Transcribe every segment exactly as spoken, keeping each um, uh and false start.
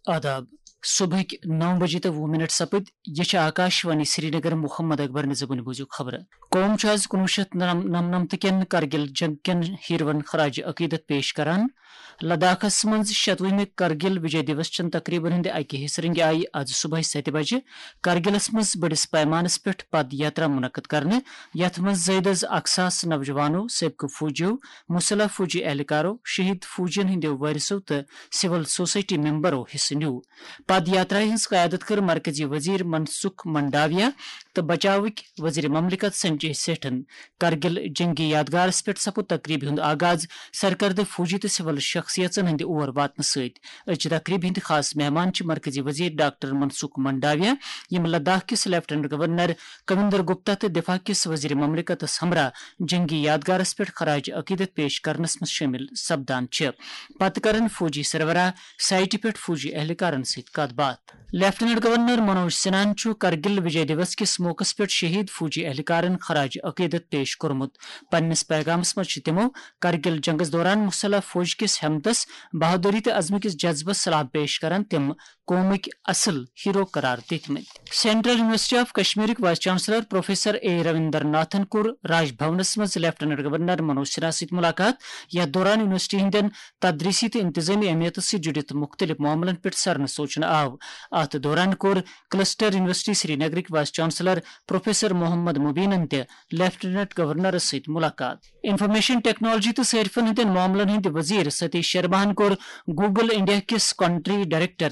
آداب۔ صبحٕکۍ نو بجے تہٕ وُہ منٹ سپٕدۍ۔ یہِ چھِ آکاش وانی سرینگر۔ محمد اکبر نِزبُنہِ بوٗزِو خبرٕ۔ قوم چھُ آز کُنوُہ شیٚتھ نَمنَمتھ کٮ۪ن کرگِل جنگ کٮ۪ن ہیٖروَن خراج عقیدت پیش کران۔ لداخس منٛز شتوُہمہِ کرگِل وجے دیوس چٮ۪ن تقریبن ہٕنٛدِ اکہِ حصہٕ رنگہِ آیہِ از صبحٲے ستہِ بجہِ کرگِلس منٛز بٔڑِس پیمانس پٮ۪ٹھ پد یاترا منعقد کرنہٕ، یتھ منٛز زٲیدٕ از اکھ ساس نوجوانو، سٲبقہٕ فوجیو، مسلح فوجی اہلکارو، شہید فوجین ہٕنٛدیو وٲرثو تہٕ سول سوسائٹی ممبرو حصہٕ نیوٗ۔ پد یاترا ہٕنٛز قیادت کٔر مرکزی وزیر منسکھ منڈاویا تہٕ بچاوٕکۍ وزیر مملکت سنجے سیٹھن۔ کرگل جنگی یادگارس پٮ۪ٹھ سپُد تقریبہِ ہُنٛد آغاز سرکردٕ فوجی تہٕ سول شخصیژن ہٕنٛدِ اور واتنہٕ سۭتۍ۔ أزچہِ تقریبہِ ہٕنٛدۍ خاص مہمان چھِ مرکزی وزیر ڈاکٹر منسکھ منڈاویا، یِم لداخ کِس لیفٹیننٹ گورنر کویندر گپتا تہٕ دفاع کِس وزیر مملکتس ہمراہ جنگی یادگارس پٮ۪ٹھ خراج عقیدت پیش کرنس منٛز شٲمِل سپدان چھِ۔ پتہٕ کرن فوجی سربراہ سائٹہِ پٮ۪ٹھ فوجی اہلکارن سۭتۍ کتھ باتھ۔ لیفٹیننٹ گورنر منوج سنہاہن چھُ کرگل وجے دیوس کِس موقعس پٮ۪ٹھ شہید فوجی اہلکارن خراج عقیدت پیش کوٚرمُت۔ پننِس پیغامس منٛز چھِ تِمو کرگل جنگس دوران مسلح فوج کِس ہمتس، بہادری تہٕ عزمہٕ کِس جذبس سلام پیش کران تِم قومٕکۍ اصل ہیرو قرار دِتمٕتۍ۔ سینٹرل یونیورسٹی آف کشمیرٕکۍ vice chancellor professor A Ravinder ناتھن کوٚر راج بھونس منٛز لیفٹیننٹ گورنر منوج سنہا سۭتۍ ملاقات، یتھ دوران یونیورسٹی ہٕنٛدٮ۪ن تدریسی تہٕ انتظامی اہمیتس سۭتۍ جُڑِتھ مُختٔلِف معاملن پٮ۪ٹھ سرنہٕ سوچنہٕ آو۔ اتھ دوران کوٚر کلسٹر یونیورسٹی سرینگرٕکۍ وائس چانسلر پروفیسر محمد مبینن تہِ لیفٹیننٹ گورنرس سۭتۍ ملاقات۔ انفارمیشن ٹیکنالوجی تہٕ صارفن ہٕنٛدٮ۪ن معاملن ہٕنٛدۍ وزیر ستیش شرماہن کوٚر گوگل انڈیا کِس کنٹری ڈائریکٹر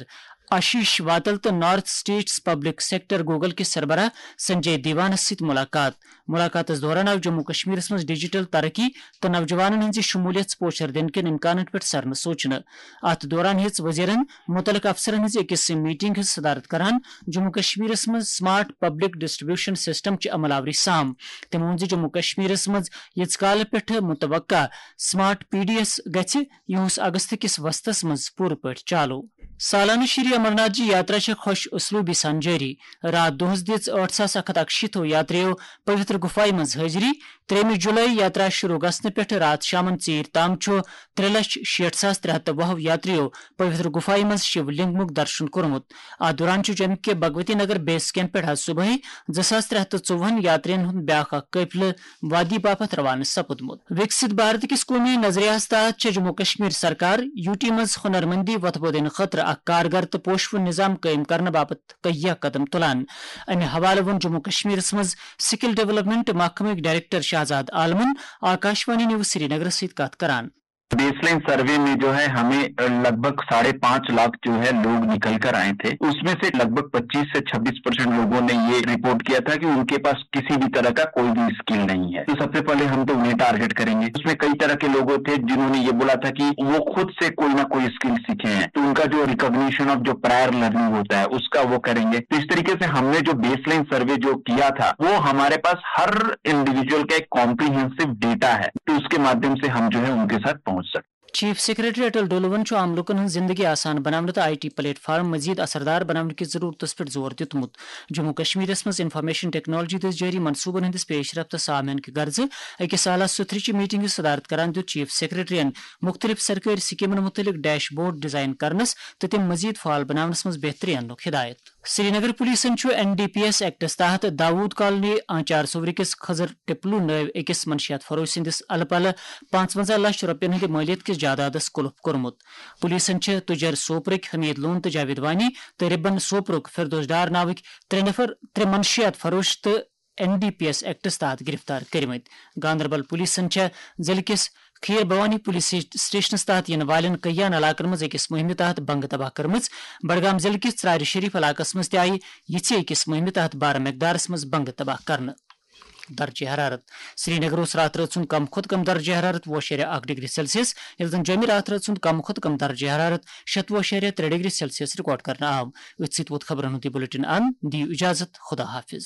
آشیش واتل تہٕ north states public sector Google کِس سربراہ سنجے دیوانس سۭتۍ ملاقات۔ ملاقاتس دوران آو جموں کشمیرس منٛز ڈیجیٹل ترقی تہٕ نوجوانن ہٕنٛزِ شمولیت پوچھر دِنہٕ کٮ۪ن امکانن پٮ۪ٹھ سرنہٕ سوچنہٕ۔ اتھ دوران ہیٚژ وزیرن متعلقہٕ افسرن ہٕنٛز أکِس میٹنگ ہٕنٛز صدارت کران جموں کشمیرس منٛز سمارٹ پبلک ڈسٹریبیوشن سسٹم چہِ عمل آوری سام۔ تٔمۍ ووٚن زِ جموں کشمیرس منٛز ییٖتِس کالہٕ پٮ۪ٹھ متوقع سمارٹ پی ڈی ایس گژھِ، یِہُس اگست کِس وسطس منٛز پوٗرٕ پٲٹھۍ چالو۔ سالانہٕ شری امرناتھ جی یاترا چھےٚ خۄش اسلوبی سان جٲری۔ راتھ دۄہس دِژ ٲٹھ ساس اکھ ہتھ اکشیٖتھو یاتریو پویتر گُفایہِ منٛز حٲضری۔ ترٛیٚیِمہِ جُلای یاترا شروع گژھنہٕ پٮ۪ٹھٕ راتھ شامن ژیٖرۍ تام چھُ ترٛےٚ لچھ شیٹھ ساس ترٛےٚ ہتھ تہٕ وُہ یاتریو پویتر گُفایہِ منٛز شِو لنگمُک درشن کوٚرمُت۔ اتھ دوران چھُ جوٚمہِ کہِ بھگوتی نگر بیس کیمپ پٮ۪ٹھ آز صبحٲے زٕ ساس ترٛےٚ ہتھ تہٕ ژوٚوُہن یاترین ہُنٛد بیٛاکھ اکھ قٲفلہٕ وادی باپتھ روانہٕ سپُدمُت۔ وِکسِت بھارت کِس قومی نظریاہس تحت چھےٚ جموں کشمیر سرکار یوٗ ٹی منٛز ہُنرمندی وۄتھٕ بوزنہٕ خٲطرٕ اکھ کارگر تہٕ پوشہٕ وُن نظام قٲیِم کرنہٕ باپتھ کہیہ قدم تُلان۔ امہِ حوالہٕ ووٚن جموں کشمیرس منٛز سکل ڈیولپمنٹ محکمٕکۍ ڈائریکٹر شہزاد عالمن آکاشوانی نیوز سرینگرس سۭتۍ کتھ کران۔ بیس لائن سروے میں جو ہے ہمیں لگ بھگ ساڑھے پانچ لاکھ جو ہے لوگ نکل کر آئے تھے، اس میں سے لگ بھگ پچیس سے چھبیس پرسینٹ لوگوں نے یہ رپورٹ کیا تھا کہ ان کے پاس کسی بھی طرح کا کوئی بھی اسکل نہیں ہے۔ تو سب سے پہلے ہم تو انہیں ٹارگٹ کریں گے۔ اس میں کئی طرح کے لوگوں تھے جنہوں نے یہ بولا تھا کہ وہ خود سے کوئی نہ کوئی اسکل سیکھے ہیں، تو ان کا جو ریکگنیشن آف جو پرائر لرننگ ہوتا ہے اس کا وہ کریں گے۔ تو اس طریقے سے ہم نے جو بیس لائن سروے جو کیا تھا وہ ہمارے پاس ہر انڈیویجول کا ایک کمپریہنسو ڈیٹا ہے، تو اس کے مادھیم سے ہم جو ہے ان کے ساتھ پہنچ سکتے ہیں۔ چیف سیکرٹری اٹل ڈولون چھُ عام لوٗکَن ہٕنٛز زِنٛدگی آسان بناونہٕ تہٕ آئی ٹی پلیٹ فارم مزید اثردار بناونہٕ کِس ضروٗرتَس پٮ۪ٹھ زور دیُتمُت۔ جموں کشمیرَس منٛز انفارمیشن ٹیکنالوجی دٔسۍ جٲری منصوٗبَن ہٕنٛدِس پیش رفتس تہٕ سامعیٖن کہِ غرضہٕ أکِس اعلیٰ سطحٕچہِ میٹنگ ہٕنٛز صدارت کران دیُت چیف سیکرٹریَن مُختٔلِف سرکٲرۍ سکیمَن مُتعلق ڈیش بورڈ ڈیزائن کرنَس تہٕ تِم مزید فعال بناونَس منٛز بہتری اننُک ہدایت۔ سرینگر پولیسن چھُ این ڈی پی ایس ایکٹس تحت داوود کالونی آنچار صوورِ کِس خضر ٹپلو نٲوۍ أکِس منشیات فروش سٕنٛدِس الہٕ پلہٕ پانٛژونٛزاہ لچھ رۄپین ہٕنٛدِ مٲلیت کِس جائیدادس قلف کوٚرمُت۔ پولیسن چھِ تُجر سوپرٕکۍ حمید لون تہٕ جاوید وانی تہٕ ربن سوپرُک فردوس ڈار ناوٕکۍ ترٛےٚ نفر، ترٛےٚ منشیات فروش تہٕ این ڈی پی ایس ایکٹس تحت گرفتار کٔرمٕتۍ۔ گاندربل پولیسن چھےٚ ضلعہٕ کِس کھیر بھوانی پولیس سٹیشنس تحت یِنہٕ والٮ۪ن کیان علاقن منٛز أکِس مُہِمہِ تحت بنگہٕ تباہ کٔرمٕژ۔ بڈگام ضلعہٕ کِس ژرارِ شریف علاقس منٛز تہِ آیہِ یِژھے أکِس مُہِمہِ تحت بارٕ مقدارس منٛز بنگہٕ تباہ کرنہٕ۔ درجہ حرارت۔ سرینگر اوس راتھ رٲژ ہُنٛد کم کھۄتہٕ کم درجہ حرارت وُہ اَشاریہ اکھ ڈگری سیلسیس، ییٚلہِ زن جوٚمہِ راتھ رٲژ ہُنٛد کم کھۄتہٕ کم درجہ حرارت شتوُہ اَشاریہ ترٛےٚ ڈگری سیلسیس ریکارڈ کرنہٕ آو۔ أتھۍ سۭتۍ ووت خبرن ہُنٛد یہِ بلیٹن اند۔ دِیِو اجازت، خدا حافظ۔